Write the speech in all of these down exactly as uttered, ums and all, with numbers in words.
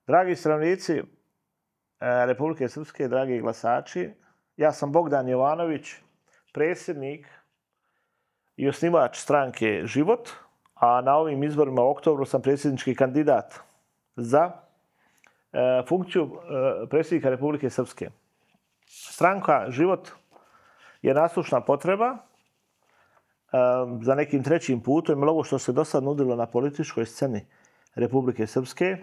Dragi stanovnici Republike Srpske, dragi glasači, ja sam Bogdan Jovanović, predsjednik i osnivač stranke Život, a na ovim izborima u oktobru sam predsjednički kandidat za e, funkciju e, predsjednika Republike Srpske. Stranka Život je naslušna potreba e, za nekim trećim putom, ili ovo što se do sad nudilo na političkoj sceni Republike Srpske,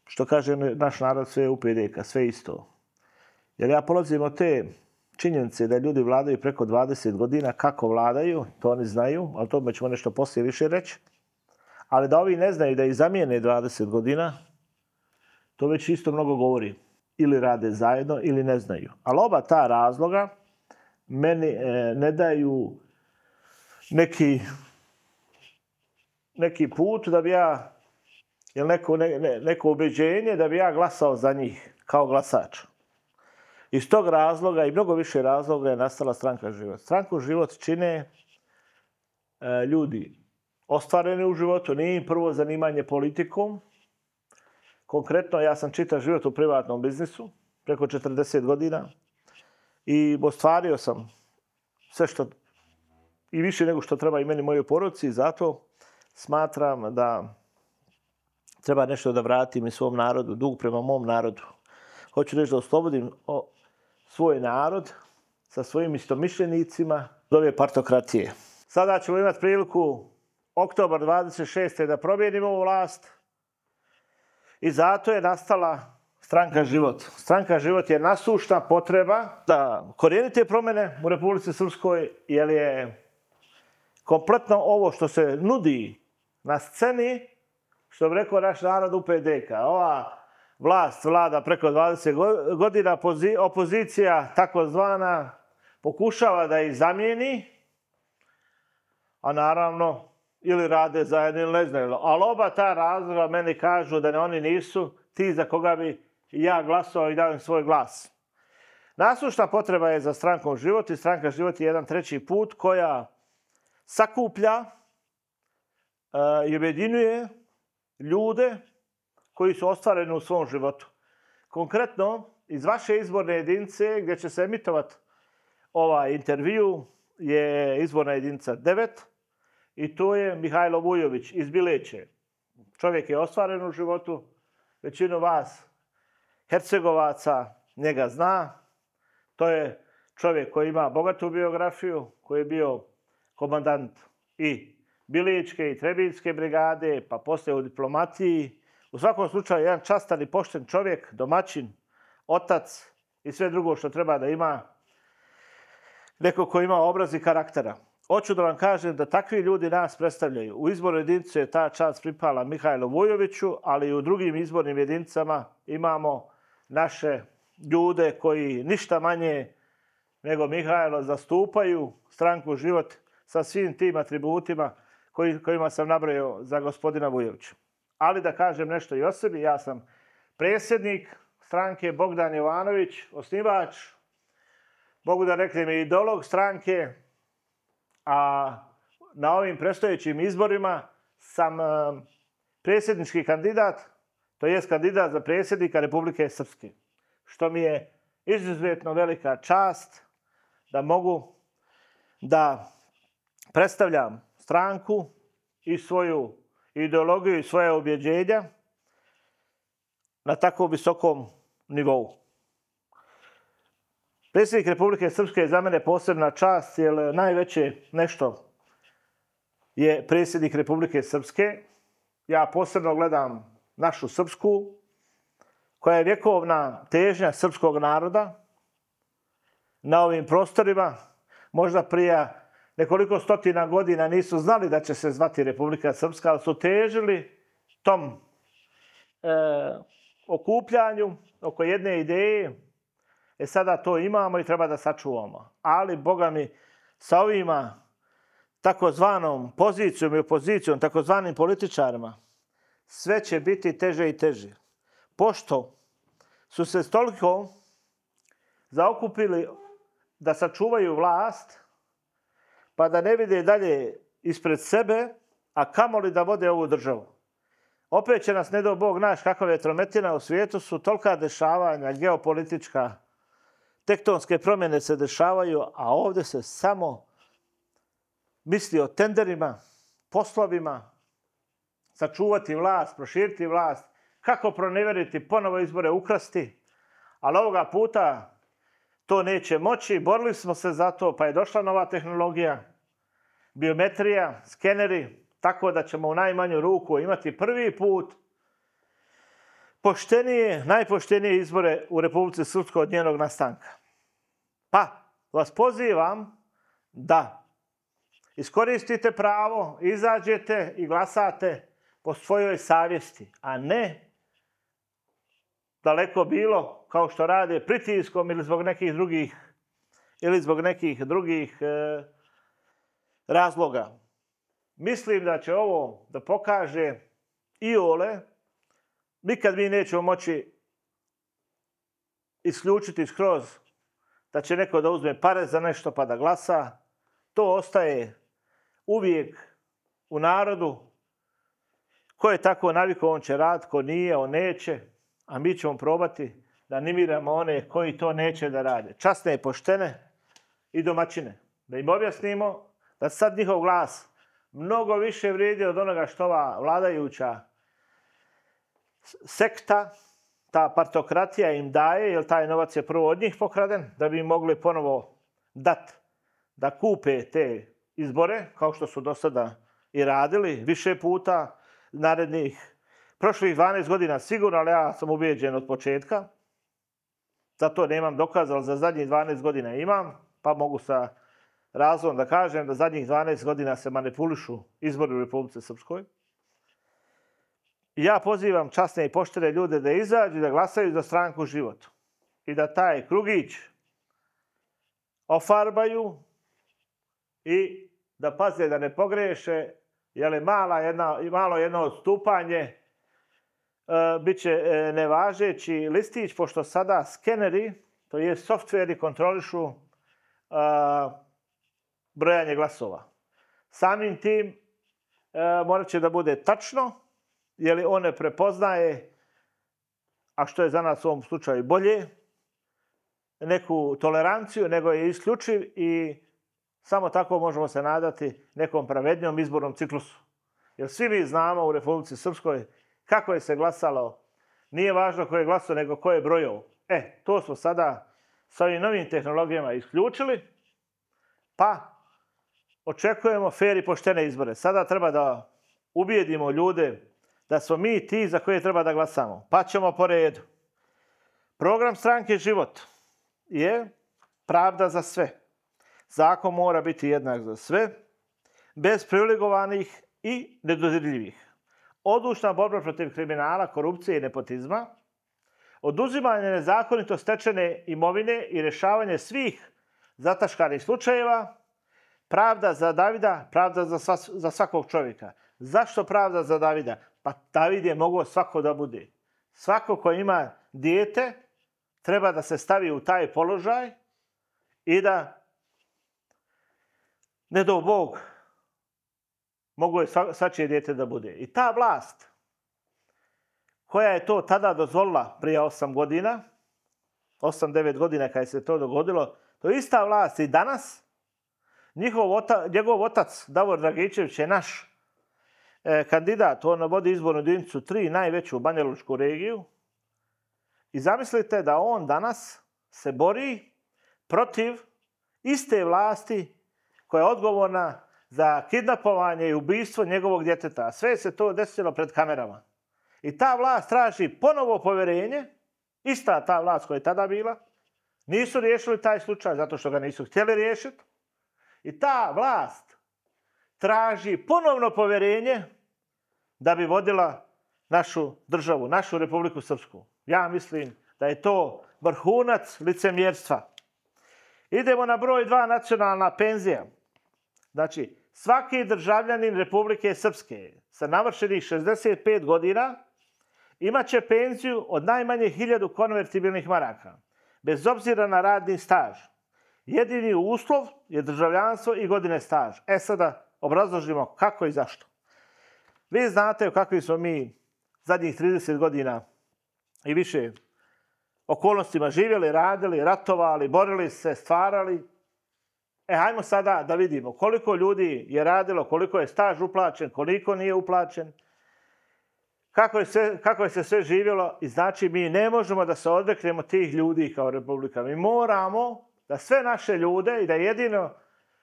što kaže naš narod, sve je U P D K, sve isto. Jer ja polazim od te činjenice da ljudi vladaju preko dvadeset godina, kako vladaju, to oni znaju, ali to ćemo nešto poslije više reći. Ali da ovi ne znaju da ih zamijene dvadeset godina, to već isto mnogo govori. Ili rade zajedno, ili ne znaju. Ali oba ta razloga meni e, ne daju neki, neki put da bi ja, ili neko, ne, ne, neko ubeđenje da bi ja glasao za njih kao glasač. Iz tog razloga i mnogo više razloga je nastala stranka Život. Stranku Život čine e, ljudi ostvareni u životu, nije im prvo zanimanje politikom. Konkretno, ja sam čitav život u privatnom biznisu, preko četrdeset godina, i ostvario sam sve što, i više nego što treba i meni, mojoj porodici, i zato smatram da treba nešto da vratim i svom narodu, dug prema mom narodu. Hoću reći da oslobodim o, svoj narod sa svojim istomišljenicima od ove partokratije. Sada ćemo imati priliku oktobar dvadeset šeste da promijenimo ovu vlast i zato je nastala stranka Život. Stranka Život je nasušna potreba da korijenite promjene u Republici Srpskoj, jer je kompletno ovo što se nudi na sceni, što bi rekao naš narod, U P D K. Ova vlast vlada preko dvadeset godina, opozicija takozvana pokušava da ih zamijeni, a naravno ili rade zajedno ili ne znaju. Ali oba ta razloga meni kažu da ne, oni nisu ti za koga bi ja glasao i dao im svoj glas. Nasušna potreba je za strankom Život i stranka Život je jedan treći put koja sakuplja uh, i objedinjuje ljude koji su ostvareni u svom životu. Konkretno, iz vaše izborne jedinice gdje će se emitovati ovaj intervju je izborna jedinica devet i to je Mihajlo Vujović iz Bileće. Čovjek je ostvaren u životu, većinu vas Hercegovaca njega zna. To je čovjek koji ima bogatu biografiju, koji je bio komandant i Biličke i Trebinjske brigade, pa poslije u diplomatiji. U svakom slučaju, jedan častan i pošten čovjek, domaćin, otac i sve drugo što treba da ima neko ko ima obraz i karaktera. Hoću da vam kažem da takvi ljudi nas predstavljaju. U izbornoj jedinici je ta čast pripala Mihajlu Vujoviću, ali i u drugim izbornim jedinicama imamo naše ljude koji ništa manje nego Mihajlo zastupaju stranku Život sa svim tim atributima koji, kojima sam nabrojao za gospodina Vujovića. Ali da kažem nešto i o sebi, ja sam predsjednik stranke Bogdan Jovanović, osnivač, mogu da reknem i ideolog stranke, a na ovim predstojećim izborima sam predsjednički kandidat, to jest kandidat za predsjednika Republike Srpske, što mi je izuzetno velika čast da mogu da predstavljam stranku i svoju ideologiju i svoje objeđenja na tako visokom nivou. Predsjednik Republike Srpske je za mene posebna čast, jer najveće nešto je predsjednik Republike Srpske. Ja posebno gledam našu Srpsku, koja je vjekovna težnja srpskog naroda na ovim prostorima. Možda prije nekoliko stotina godina nisu znali da će se zvati Republika Srpska, ali su težili tom e, okupljanju oko jedne ideje. E sada to imamo i treba da sačuvamo. Ali, Boga mi, sa ovima takozvanom pozicijom i opozicijom, takozvanim političarima, sve će biti teže i teže. Pošto su se toliko zaokupili da sačuvaju vlast, pa da ne vide dalje ispred sebe, a kamoli da vode ovu državu. Opet će nas, ne do Bog, naš kakva vetrometina, u svijetu su tolika dešavanja, geopolitička, tektonske promjene se dešavaju, a ovdje se samo misli o tenderima, poslovima, sačuvati vlast, proširiti vlast, kako proneveriti, ponovo izbore ukrasti, ali ovoga puta to neće moći. Borili smo se za to, pa je došla nova tehnologija, biometrija, skeneri, tako da ćemo u najmanju ruku imati prvi put poštenije, najpoštenije izbore u Republici Srpskoj od njenog nastanka. Pa vas pozivam da iskoristite pravo, izađete i glasate po svojoj savjesti, a ne daleko bilo, kao što rade pritiskom ili zbog nekih drugih, ili zbog nekih drugih e, razloga. Mislim da će ovo da pokaže iole, nikad mi nećemo moći isključiti skroz da će neko da uzme pare za nešto pa da glasa. To ostaje uvijek u narodu. Ko je tako navikao, on će raditi, ko nije, on neće. A mi ćemo probati da animiramo one koji to neće da rade. Časne, poštene i domaćine. Da im objasnimo da sad njihov glas mnogo više vrijedi od onoga što ova vladajuća sekta, ta partokratija im daje, jer taj novac je prvo od njih pokraden, da bi im mogli ponovo dat da kupe te izbore, kao što su do sada i radili više puta, narednih prošlih dvanaest godina sigurno, ali ja sam ubijeđen od početka. Zato nemam dokaza, ali za zadnjih dvanaest godina imam, pa mogu sa razlogom da kažem da zadnjih dvanaest godina se manipulišu izbori u Republici Srpskoj. Ja pozivam časne i poštene ljude da izađu i da glasaju za stranku Život. I da taj krugić ofarbaju i da paze da ne pogreše, jer je mala jedna, malo jedno odstupanje, e, bit će e, nevažeći listić, pošto sada skeneri, to je softveri, kontrolišu e, brojanje glasova. Samim tim e, morat će da bude tačno, jer on ne prepoznaje, a što je za nas u ovom slučaju bolje, neku toleranciju, nego je isključiv i samo tako možemo se nadati nekom pravednijom izbornom ciklusu. Jer svi mi znamo u Republici Srpskoj kako je se glasalo. Nije važno ko je glasao, nego ko je brojao. E, to smo sada sa ovim novim tehnologijama isključili, pa očekujemo fer i poštene izbore. Sada treba da ubijedimo ljude da smo mi ti za koje treba da glasamo. Pa ćemo po redu. Program stranke Život je pravda za sve. Zakon mora biti jednak za sve, bez privilegovanih i nedodirljivih. Odlučna borba protiv kriminala, korupcije i nepotizma, oduzimanje nezakonito stečene imovine i rješavanje svih zataškanih slučajeva, pravda za Davida, pravda za, sva, za svakog čovjeka. Zašto pravda za Davida? Pa David je mogao svako da bude. Svako ko ima dijete treba da se stavi u taj položaj i da, ne do Bog, mogu je svačije dijete da bude. I ta vlast koja je to tada dozvolila prije osam godina, osam devet godina kada se to dogodilo, to je ista vlast i danas. Njihov otac, njegov otac Davor Dragičević je naš e, kandidat, on vodi izbornu jedinicu tri, najveću Banjalučku regiju. I zamislite da on danas se bori protiv iste vlasti koja je odgovorna za kidnapovanje i ubistvo njegovog djeteta. Sve se to desilo pred kamerama. I ta vlast traži ponovo povjerenje, ista ta vlast koja je tada bila. Nisu riješili taj slučaj zato što ga nisu htjeli riješiti. I ta vlast traži ponovno povjerenje da bi vodila našu državu, našu Republiku Srpsku. Ja mislim da je to vrhunac licemjerstva. Idemo na broj dva, nacionalna penzija. Znači, svaki državljanin Republike Srpske sa navršenih šezdeset pet godina imat će penziju od najmanje hiljadu konvertibilnih maraka, bez obzira na radni staž. Jedini uslov je državljanstvo i godine staž. E sada obrazložimo kako i zašto. Vi znate u kakvim smo mi zadnjih trideset godina i više okolnostima živjeli, radili, ratovali, borili se, stvarali. E, hajmo sada da vidimo koliko ljudi je radilo, koliko je staž uplaćen, koliko nije uplaćen, kako je, sve, kako je se sve živjelo. I znači mi ne možemo da se odreknemo tih ljudi kao republika. Mi moramo da sve naše ljude i da jedino,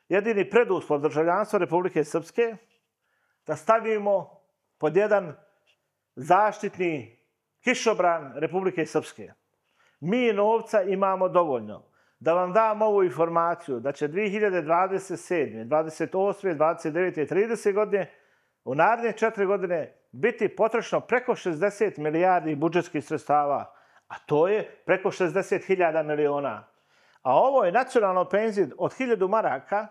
jedini preduslov državljanstva Republike Srpske da stavimo pod jedan zaštitni kišobran Republike Srpske. Mi novca imamo dovoljno. Da vam dam ovu informaciju da će dvije hiljade dvadeset sedme, dvadeset osme, dvadeset devete i tridesete godine u naredne četiri godine biti potrošeno preko šezdeset milijardi budžetskih sredstava, a to je preko šezdeset hiljada miliona. A ovo je nacionalno penzije od hiljadu maraka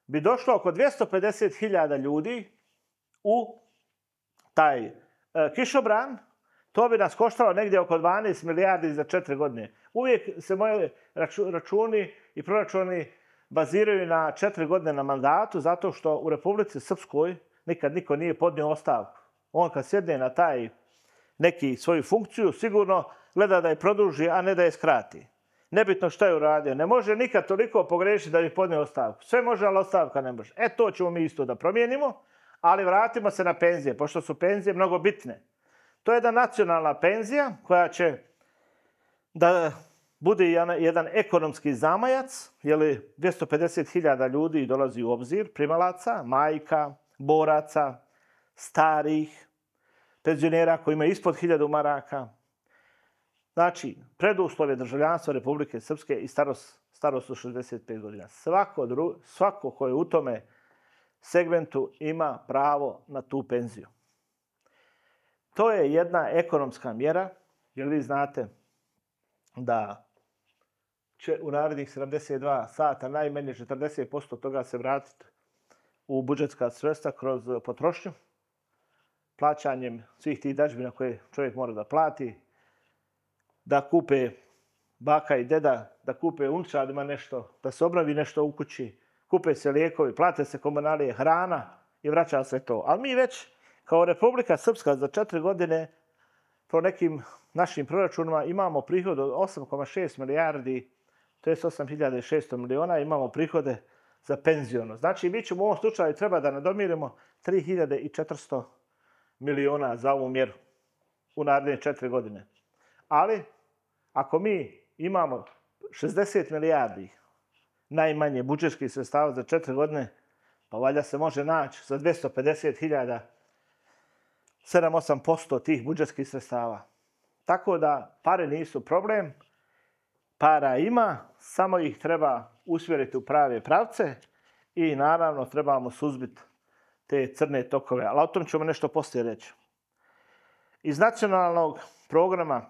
bi došlo oko dvjesto pedeset hiljada ljudi u taj e, kišobran. To bi nas koštalo negdje oko dvanaest milijardi za četiri godine. Uvijek se moji računi i proračuni baziraju na četiri godine na mandatu, zato što u Republici Srpskoj nikad niko nije podnio ostavku. On kad sjedne na taj neki svoju funkciju, sigurno gleda da je produži, a ne da je skrati. Nebitno što je uradio. Ne može nikad toliko pogrešiti da bi podnio ostavku. Sve može, ali ostavka ne može. E, to ćemo mi isto da promijenimo, ali vratimo se na penzije, pošto su penzije mnogo bitne. To je jedna nacionalna penzija koja će da bude jedan ekonomski zamajac, jer dvjesto pedeset hiljada ljudi dolazi u obzir, primalaca, majka, boraca, starih, penzionera koji imaju ispod hiljadu maraka. Znači, preduslov je državljanstva Republike Srpske i starost, starost od šezdeset pet godina. Svako, dru, svako ko je u tome segmentu ima pravo na tu penziju. To je jedna ekonomska mjera, jer vi znate da će u narednih sedamdeset dva sata najmanje četrdeset posto toga se vratiti u budžetska sredstva kroz potrošnju, plaćanjem svih tih dažbina koje čovjek mora da plati, da kupe baka i deda, da kupe unčadima nešto, da se obnovi nešto u kući, kupe se lijekovi, plate se komunalije, hrana i vraća se to. Ali mi već kao Republika Srpska za četiri godine po nekim našim proračunima imamo prihod od osam zarez šest milijardi, to je osam hiljada šesto miliona, imamo prihode za penziono. Znači, mi ćemo u ovom slučaju treba da nadomirimo tri hiljade četiristo miliona za ovu mjeru u naredne četiri godine. Ali, ako mi imamo šezdeset milijardi najmanje budžetskih sredstava za četiri godine, pa valjda se može naći za dvjesto pedeset hiljada sedam do osam posto tih budžetskih sredstava. Tako da pare nisu problem, para ima, samo ih treba usmjeriti u prave pravce i naravno trebamo suzbiti te crne tokove. Ali o tom ćemo nešto poslije reći. Iz nacionalnog programa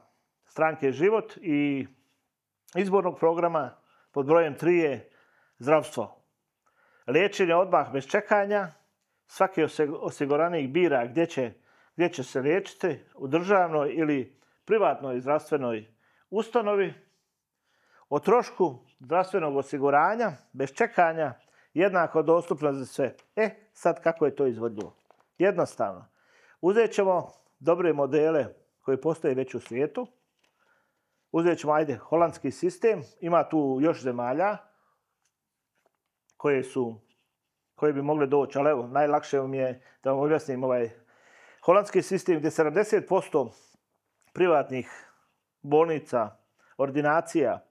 Stranke Život i izbornog programa pod brojem tri je zdravstvo. Liječenje odmah bez čekanja, svaki osiguranik bira gdje će, gdje će se liječiti, u državnoj ili privatnoj zdravstvenoj ustanovi. O trošku zdravstvenog osiguranja bez čekanja jednako dostupno za sve. E, sad kako je to izvodljivo? Jednostavno. Uzet ćemo dobre modele koji postoje već u svijetu. Uzet ćemo, ajde, holandski sistem. Ima tu još zemalja koje su, koje bi mogle doći, ali evo, najlakše mi je da vam objasnim ovaj holandski sistem gdje sedamdeset posto privatnih bolnica, ordinacija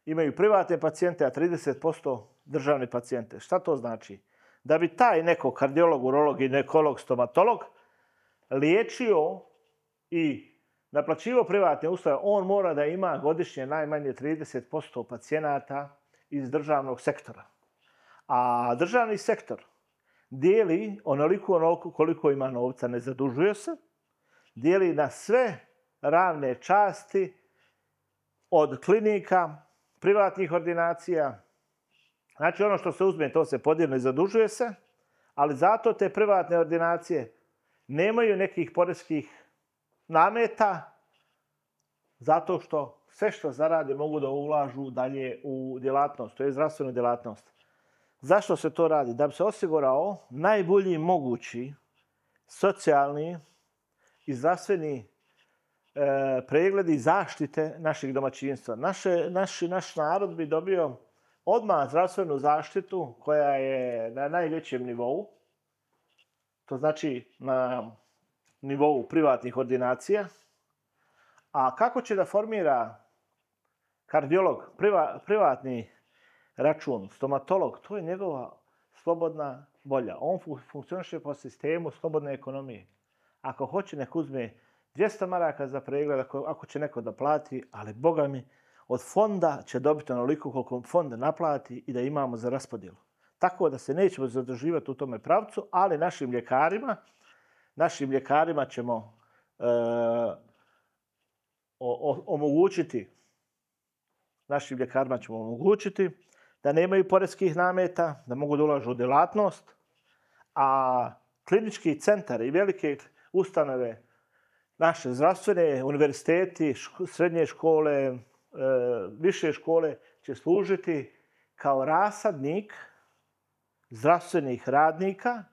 imaju privatne pacijente, a trideset posto državne pacijente. Šta to znači? Da bi taj neko kardiolog, urolog, ginekolog, stomatolog liječio i naplaćivo privatne usluge, on mora da ima godišnje najmanje trideset posto pacijenata iz državnog sektora. A državni sektor dijeli onoliko, onoliko koliko ima novca, ne zadužuje se, dijeli na sve ravne časti od klinika, privatnih ordinacija. Znači ono što se uzme, to se podijeli, zadužuje se, ali zato te privatne ordinacije nemaju nekih poreskih nameta, zato što sve što zarade mogu da ulažu dalje u djelatnost, to je zdravstvenu djelatnost. Zašto se to radi? Da bi se osigurao najbolji mogući socijalni i zdravstveni e, pregledi zaštite naših domaćinstva. Naše, naš, naš narod bi dobio odmah zdravstvenu zaštitu koja je na najvećem nivou. To znači na nivou privatnih ordinacija. A kako će da formira kardiolog, priva, privatni račun, stomatolog, to je njegova slobodna volja. On funkcioniše po sistemu slobodne ekonomije. Ako hoće, nek uzme dvjesto maraka za pregled, ako, ako će neko da plati, ali Boga mi, od fonda će dobiti onoliko koliko fond naplati i da imamo za raspodjelu. Tako da se nećemo zadrživati u tome pravcu, ali našim ljekarima, našim ljekarima ćemo e, o, o, omogućiti, našim ljekarima ćemo omogućiti da nemaju poreskih nameta, da mogu da ulažu u djelatnost, a klinički centar i velike ustanove, naše zdravstvene, univerziteti, ško, srednje škole, e, više škole će služiti kao rasadnik zdravstvenih radnika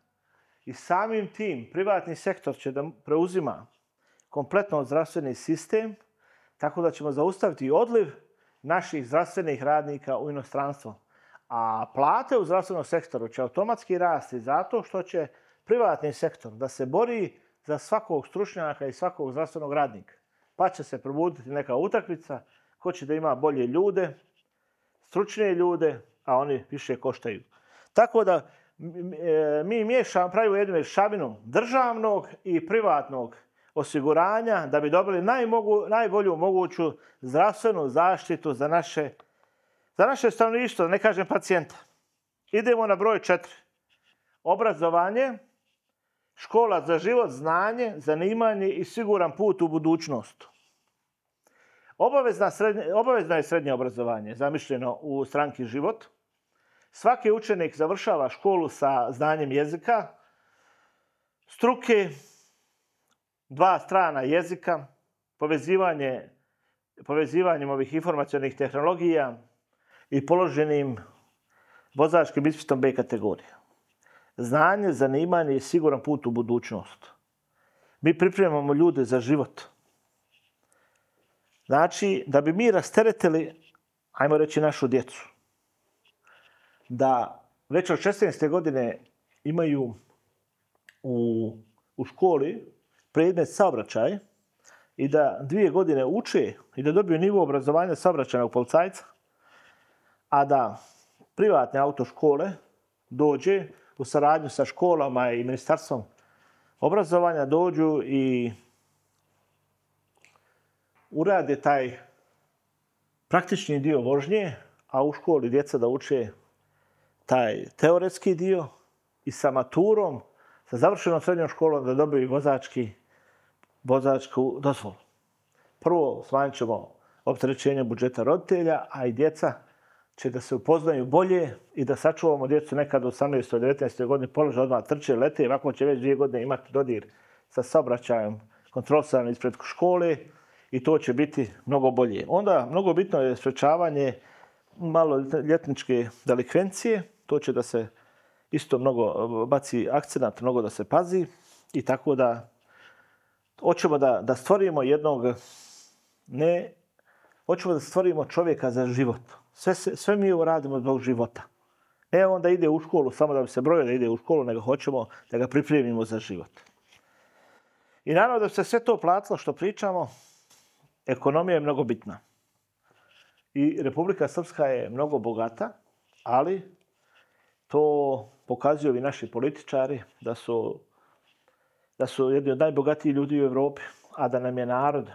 i samim tim privatni sektor će da preuzima kompletno zdravstveni sistem, tako da ćemo zaustaviti odliv naših zdravstvenih radnika u inostranstvo. A plate u zdravstvenom sektoru će automatski rasti zato što će privatni sektor da se bori za svakog stručnjaka i svakog zdravstvenog radnika. Pa će se probuditi neka utakmica ko će da ima bolje ljude, stručnije ljude, a oni više koštaju. Tako da mi miješamo, pravimo jednu mješavinu državnog i privatnog osiguranja da bi dobili najmogu, najbolju moguću zdravstvenu zaštitu za naše, za naše stanovništvo, da ne kažem pacijenta. Idemo na broj četiri. Obrazovanje, škola za život, znanje, zanimanje i siguran put u budućnost. Obavezna srednje, obavezno je srednje obrazovanje, zamišljeno u stranki Život. Svaki učenik završava školu sa znanjem jezika, struke, dva strana jezika, povezivanje, povezivanjem ovih informacionih tehnologija i položenim vozačkim ispitom B kategorije. Znanje, zanimanje i siguran put u budućnost. Mi pripremamo ljude za život. Znači, da bi mi rasteretili, ajmo reći, našu djecu, da već od šesnaeste godine imaju u, u školi predmet saobraćaj i da dvije godine uče i da dobiju nivo obrazovanja saobraćajnog policajca, a da privatne autoškole dođe u saradnju sa školama i ministarstvom obrazovanja dođu i urade taj praktični dio vožnje, a u školi djeca da uče taj teoretski dio i sa maturom, sa završenom srednjom školom da dobiju vozački, vozačku dozvolu. Prvo smanjit ćemo opterećenje budžeta roditelja, a i djeca će da se upoznaju bolje i da sačuvamo djecu nekad u osamnaestoj devetnaestoj godini polože odmah trče, lete, ovako će već dvije godine imati dodir sa saobraćajem kontrolisan ispred škole i to će biti mnogo bolje. Onda mnogo bitno je sprečavanje maloljetničke delikvencije, to će da se isto mnogo baci akcenat, mnogo da se pazi i tako da hoćemo da, da stvorimo jednog, ne, hoćemo da stvorimo čovjeka za život. Sve, sve mi ovo radimo zbog života. Ne on da ide u školu samo da bi se brojio da ide u školu, nego hoćemo da ga pripremimo za život. I naravno da se sve to platilo što pričamo, ekonomija je mnogo bitna. I Republika Srpska je mnogo bogata, ali to pokazuju ovi naši političari da su, da su jedni od najbogatijih ljudi u Evropi, a da nam je narod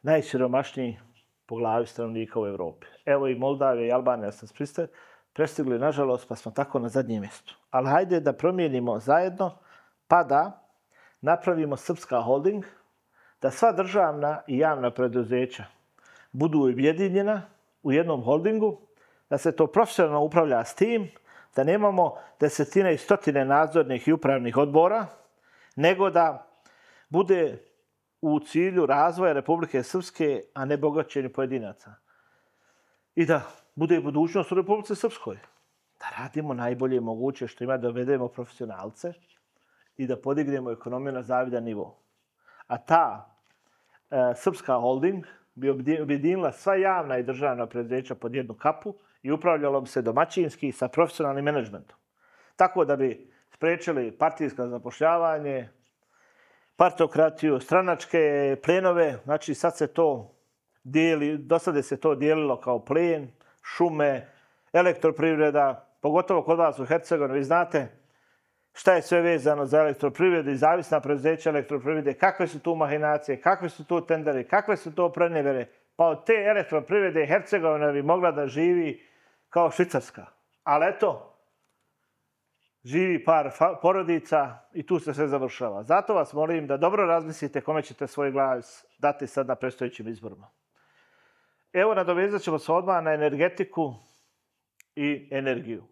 najsiromašniji po glavi stanovnika u Evropi. Evo i Moldavija i Albanija su prestigli, nažalost, pa smo tako na zadnjem mjestu. Ali hajde da promijenimo zajedno, pa da napravimo Srpska holding, da sva državna i javna preduzeća budu objedinjena u jednom holdingu, da se to profesionalno upravlja s tim, da nemamo desetine i stotine nadzornih i upravnih odbora, nego da bude u cilju razvoja Republike Srpske, a ne bogaćenju pojedinaca. I da bude budućnost u Republike Srpskoj. Da radimo najbolje moguće što ima, da dovedemo profesionalce i da podignemo ekonomiju na zavidan nivo. A ta e, Srpska holding bi objedinila sva javna i državna preduzeća pod jednu kapu i upravljalo bi se domaćinski sa profesionalnim menadžmentom. Tako da bi spriječili partijsko zapošljavanje, partokratiju, stranačke plenove. Znači sad se to dijeli, do sada se to dijelilo kao plen, šume, elektroprivreda, pogotovo kod vas u Hercegovini. Vi znate šta je sve vezano za elektroprivredu i zavisna preduzeća elektroprivrede, kakve su tu mahinacije, kakve su tu tenderi, kakve su to prenevere. Pa od te elektroprivrede Hercegovina bi mogla da živi kao Švicarska. Ali eto, živi par porodica i tu se sve završava. Zato vas molim da dobro razmislite kome ćete svoj glas dati sad na predstojećim izborima. Evo, nadovezat ćemo se odmah na energetiku i energiju.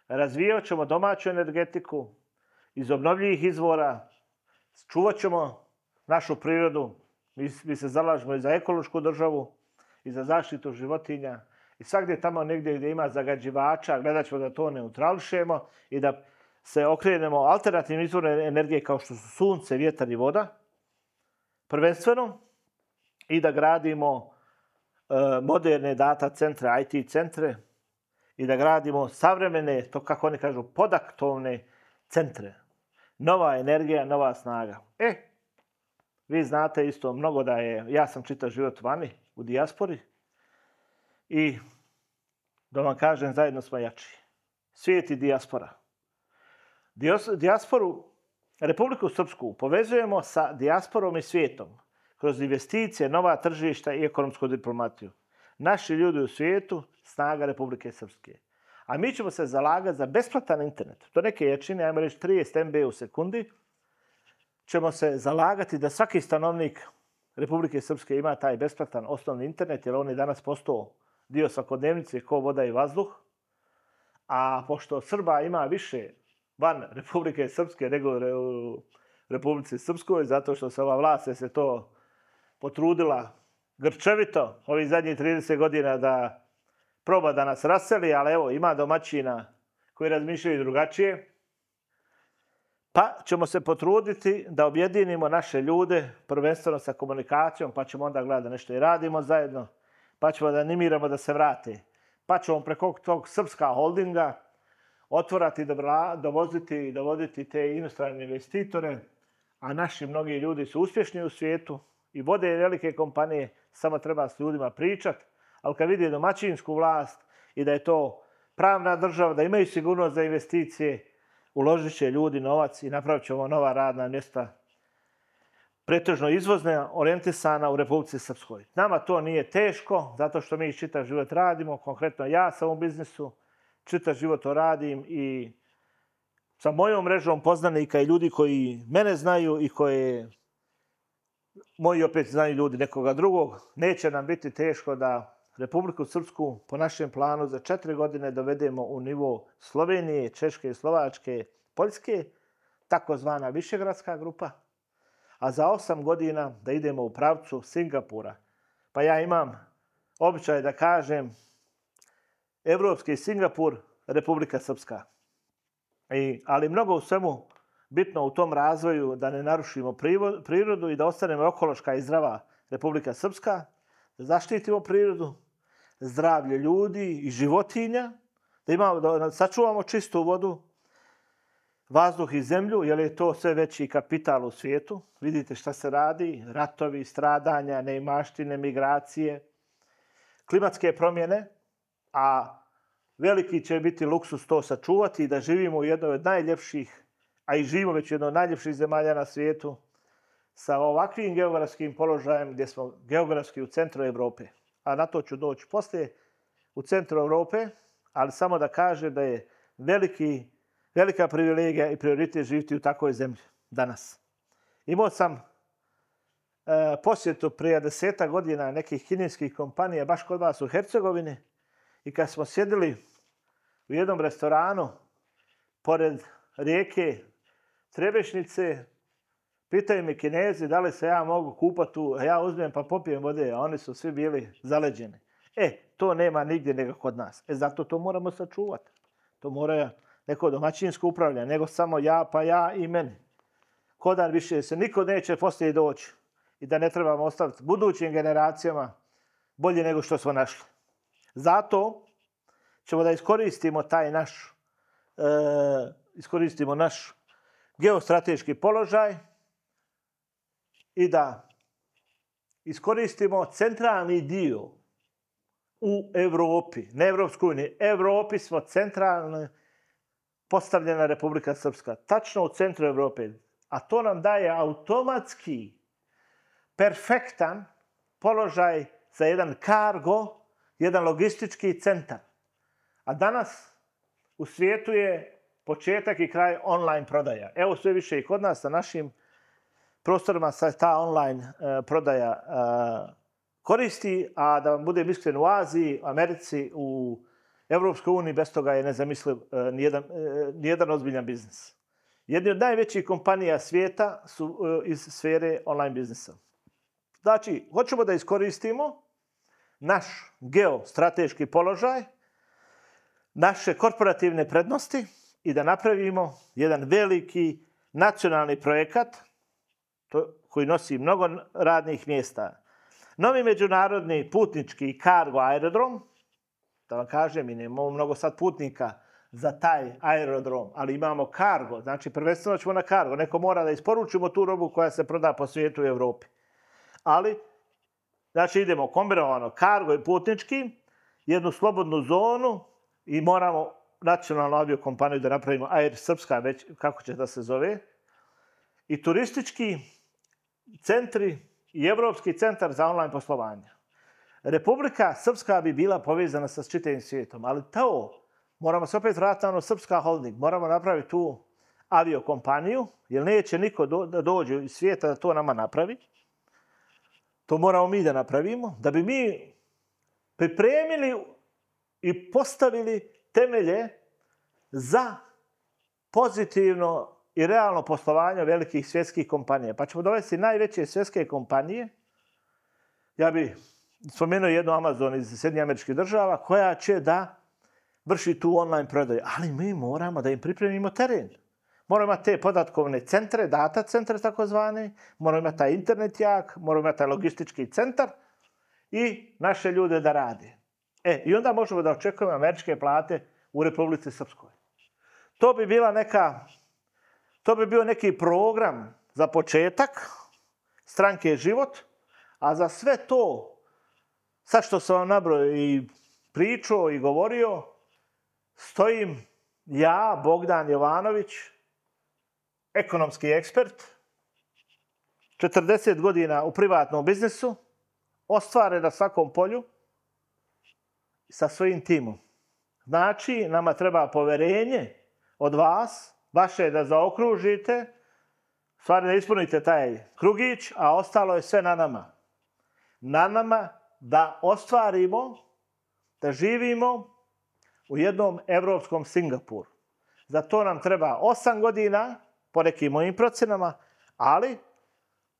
Razvijat ćemo domaću energetiku iz obnovljivih izvora, čuvat ćemo našu prirodu, mi, mi se zalažemo i za ekološku državu, i za zaštitu životinja, i svakdje tamo negdje gdje ima zagađivača, gledat ćemo da to neutrališemo i da se okrenemo alternativnim izvorima energije kao što su sunce, vjetar i voda, prvenstveno, i da gradimo e, moderne data centre, I T centre, i da gradimo savremene, to kako oni kažu, podaktovne centre. Nova energija, nova snaga. E, vi znate isto mnogo da je, ja sam čitav život vani, u dijaspori, i da vam kažem, zajedno smo jači. Svijet i dijaspora. Dijasporu, Republiku Srpsku, povezujemo sa dijasporom i svijetom kroz investicije, nova tržišta i ekonomsku diplomatiju. Naši ljudi u svijetu, snaga Republike Srpske. A mi ćemo se zalagati za besplatan internet. To neke jačine, ajmo reći trideset megabita u sekundi, ćemo se zalagati da svaki stanovnik Republike Srpske ima taj besplatan osnovni internet, jer on je danas postao dio svakodnevnice ko voda i vazduh. A pošto Srba ima više van Republike Srpske nego u Republici Srpskoj, zato što se ova vlast se to potrudila grčevito ovih zadnjih trideset godina da proba da nas raseli, ali evo, ima domaćina koji razmišljaju drugačije. Pa ćemo se potruditi da objedinimo naše ljude, prvenstveno sa komunikacijom, pa ćemo onda gledati da nešto i radimo zajedno, pa ćemo da animiramo da se vrate. Pa ćemo preko tog Srpska holdinga otvorati, dovoziti i dovoditi te inostrane investitore, a naši mnogi ljudi su uspješni u svijetu i vode velike kompanije, samo treba s ljudima pričati, ali kad vidi domaćinsku vlast i da je to pravna država, da imaju sigurnost za investicije, uložit će ljudi novac i napravit ćemo nova radna mjesta, pretežno izvozne, orijentisana u Republici Srpskoj. Nama to nije teško, zato što mi čitav život radimo, konkretno ja sam u biznisu, čitav život to radim i sa mojom mrežom poznanika i ljudi koji mene znaju i koje moji opet znaju ljudi nekoga drugog, neće nam biti teško da Republiku Srpsku po našem planu za četiri godine dovedemo u nivo Slovenije, Češke, Slovačke, Poljske, takozvana Višegradska grupa, a za osam godina da idemo u pravcu Singapura. Pa ja imam običaj da kažem Evropski Singapur, Republika Srpska. I, ali mnogo u svemu bitno u tom razvoju da ne narušimo prirodu i da ostanemo ekološka i zdrava Republika Srpska, da zaštitimo prirodu, zdravlje ljudi i životinja, da, imamo, da sačuvamo čistu vodu, vazduh i zemlju, jer je to sve veći kapital u svijetu. Vidite šta se radi, ratovi, stradanja, neimaštine, migracije, klimatske promjene, a veliki će biti luksus to sačuvati i da živimo u jednoj od najljepših, a i živimo već u jednoj od najljepših zemalja na svijetu, sa ovakvim geografskim položajem gdje smo geografski u centru Evrope. A na to ću doći poslije u centru Evrope, ali samo da kaže da je veliki, velika privilegija i prioritet živjeti u takvoj zemlji danas. Imao sam e, posjetu prije deseta godina nekih kineskih kompanija baš kod vas u Hercegovini i kad smo sjedili u jednom restoranu pored rijeke Trebešnice, pitaju mi Kinezi da li se ja mogu kupati tu, a ja uzmem pa popijem vode, a oni su svi bili zaleđeni. E, to nema nigdje nego kod nas. E, zato to moramo sačuvati. To mora neko domaćinsko upravljanje, nego samo ja, pa ja i meni. Kodan više se niko neće poslije doći i da ne trebamo ostaviti budućim generacijama bolje nego što smo našli. Zato ćemo da iskoristimo taj naš, e, iskoristimo naš geostrateški položaj i da iskoristimo centralni dio u Evropi, ne Evropskoj uniji. Evropi smo centralno postavljena Republika Srpska, tačno u centru Evrope. A to nam daje automatski perfektan položaj za jedan kargo, jedan logistički centar. A danas u svijetu je početak i kraj online prodaja. Evo sve više i kod nas na našim prostorima se ta online uh, prodaja uh, koristi, a da vam budem iskren, u Aziji, Americi, u Evropskoj uniji bez toga je nezamisliv uh, nijedan, uh, nijedan ozbiljan biznis. Jedni od najvećih kompanija svijeta su uh, iz sfere online biznisa. Znači, hoćemo da iskoristimo naš geostrateški položaj, naše korporativne prednosti i da napravimo jedan veliki nacionalni projekat to, koji nosi mnogo radnih mjesta. Novi međunarodni putnički kargo aerodrom, da vam kažem, mi nemamo mnogo sad putnika za taj aerodrom, ali imamo kargo, znači prvenstveno ćemo na kargo. Neko mora da isporučimo tu robu koja se proda po svijetu i Evropi. Ali, znači idemo kombinovano kargo i putnički, jednu slobodnu zonu i moramo nacionalnu aviokompaniju da napravimo, Air Srpska, već kako će da se zove, i turistički centri i Evropski centar za online poslovanje. Republika Srpska bi bila povezana sa čitavim svijetom, ali to moramo se opet vratiti na ono Srpska holding. Moramo napraviti tu aviokompaniju, jer neće niko do, da dođe iz svijeta da to nama napravi. To moramo mi da napravimo, da bi mi pripremili i postavili temelje za pozitivno i realno poslovanje velikih svjetskih kompanija. Pa ćemo dovesti najveće svjetske kompanije. Ja bih spomenuo jednu Amazon iz Sjedinjenih Američkih Država koja će da vrši tu online prodaju. Ali mi moramo da im pripremimo teren. Moramo imati te podatkovne centre, data centre takozvane, moramo imati taj internet jak, moramo imati taj logistički centar i naše ljude da rade. E, i onda možemo da očekujemo američke plate u Republici Srpskoj. To bi bila neka, to bi bio neki program za početak stranke Život, a za sve to, sad što sam vam nabrojao i pričao i govorio, stojim ja, Bogdan Jovanović, ekonomski ekspert, četrdeset godina u privatnom biznisu, ostvaren na svakom polju, sa svojim timom. Znači, nama treba poverenje od vas, vaše je da zaokružite, stvari da ispunite taj krugić, a ostalo je sve na nama. Na nama da ostvarimo, da živimo u jednom evropskom Singapuru. Za to nam treba osam godina, po nekim mojim procenama, ali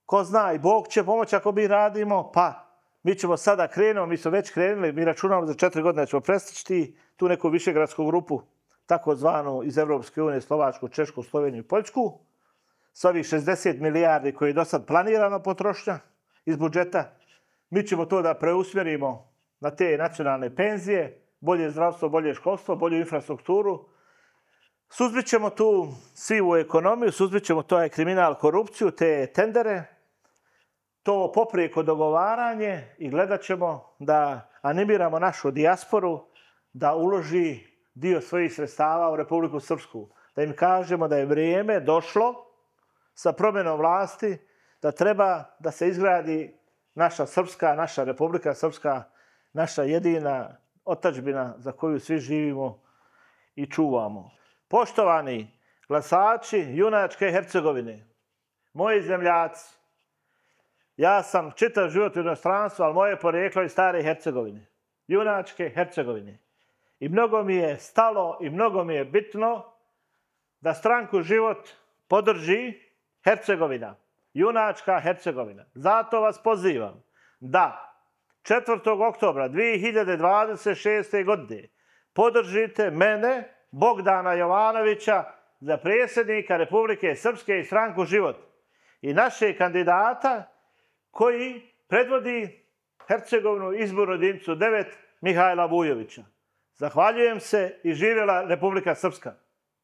ko zna i Bog će pomoći ako mi radimo, pa mi ćemo sada krenuti, mi smo već krenuli, mi računamo za četiri godine ćemo prestići tu neku višegradsku grupu, takozvanu iz Evropske unije, Slovačku, Češku, Sloveniju i Poljsku, s ovih šezdeset milijardi koji je do sad planirano potrošnja iz budžeta, mi ćemo to da preusmjerimo na te nacionalne penzije, bolje zdravstvo, bolje školstvo, bolju infrastrukturu. Suzbit ćemo tu sivu ekonomiju, suzbit ćemo taj kriminal, korupciju, te tendere, to poprijeko dogovaranje i gledat ćemo da animiramo našu dijasporu da uloži dio svojih sredstava u Republiku Srpsku. Da im kažemo da je vrijeme došlo sa promjenom vlasti, da treba da se izgradi naša Srpska, naša Republika Srpska, naša jedina otadžbina za koju svi živimo i čuvamo. Poštovani glasači junačke Hercegovine, moji zemljaci, ja sam čitav život u inostranstvu, ali moje porijeklo je iz stare Hercegovine, junačke Hercegovine. I mnogo mi je stalo i mnogo mi je bitno da stranku Život podrži Hercegovina, junačka Hercegovina. Zato vas pozivam da četvrtog oktobra dvije hiljade dvadeset šeste. godine podržite mene, Bogdana Jovanovića, za predsjednika Republike Srpske i stranku Život. I naše kandidata koji predvodi Hercegovinu izbornu jedinicu devet Mihajla Vujovića. Zahvaljujem se i živjela Republika Srpska.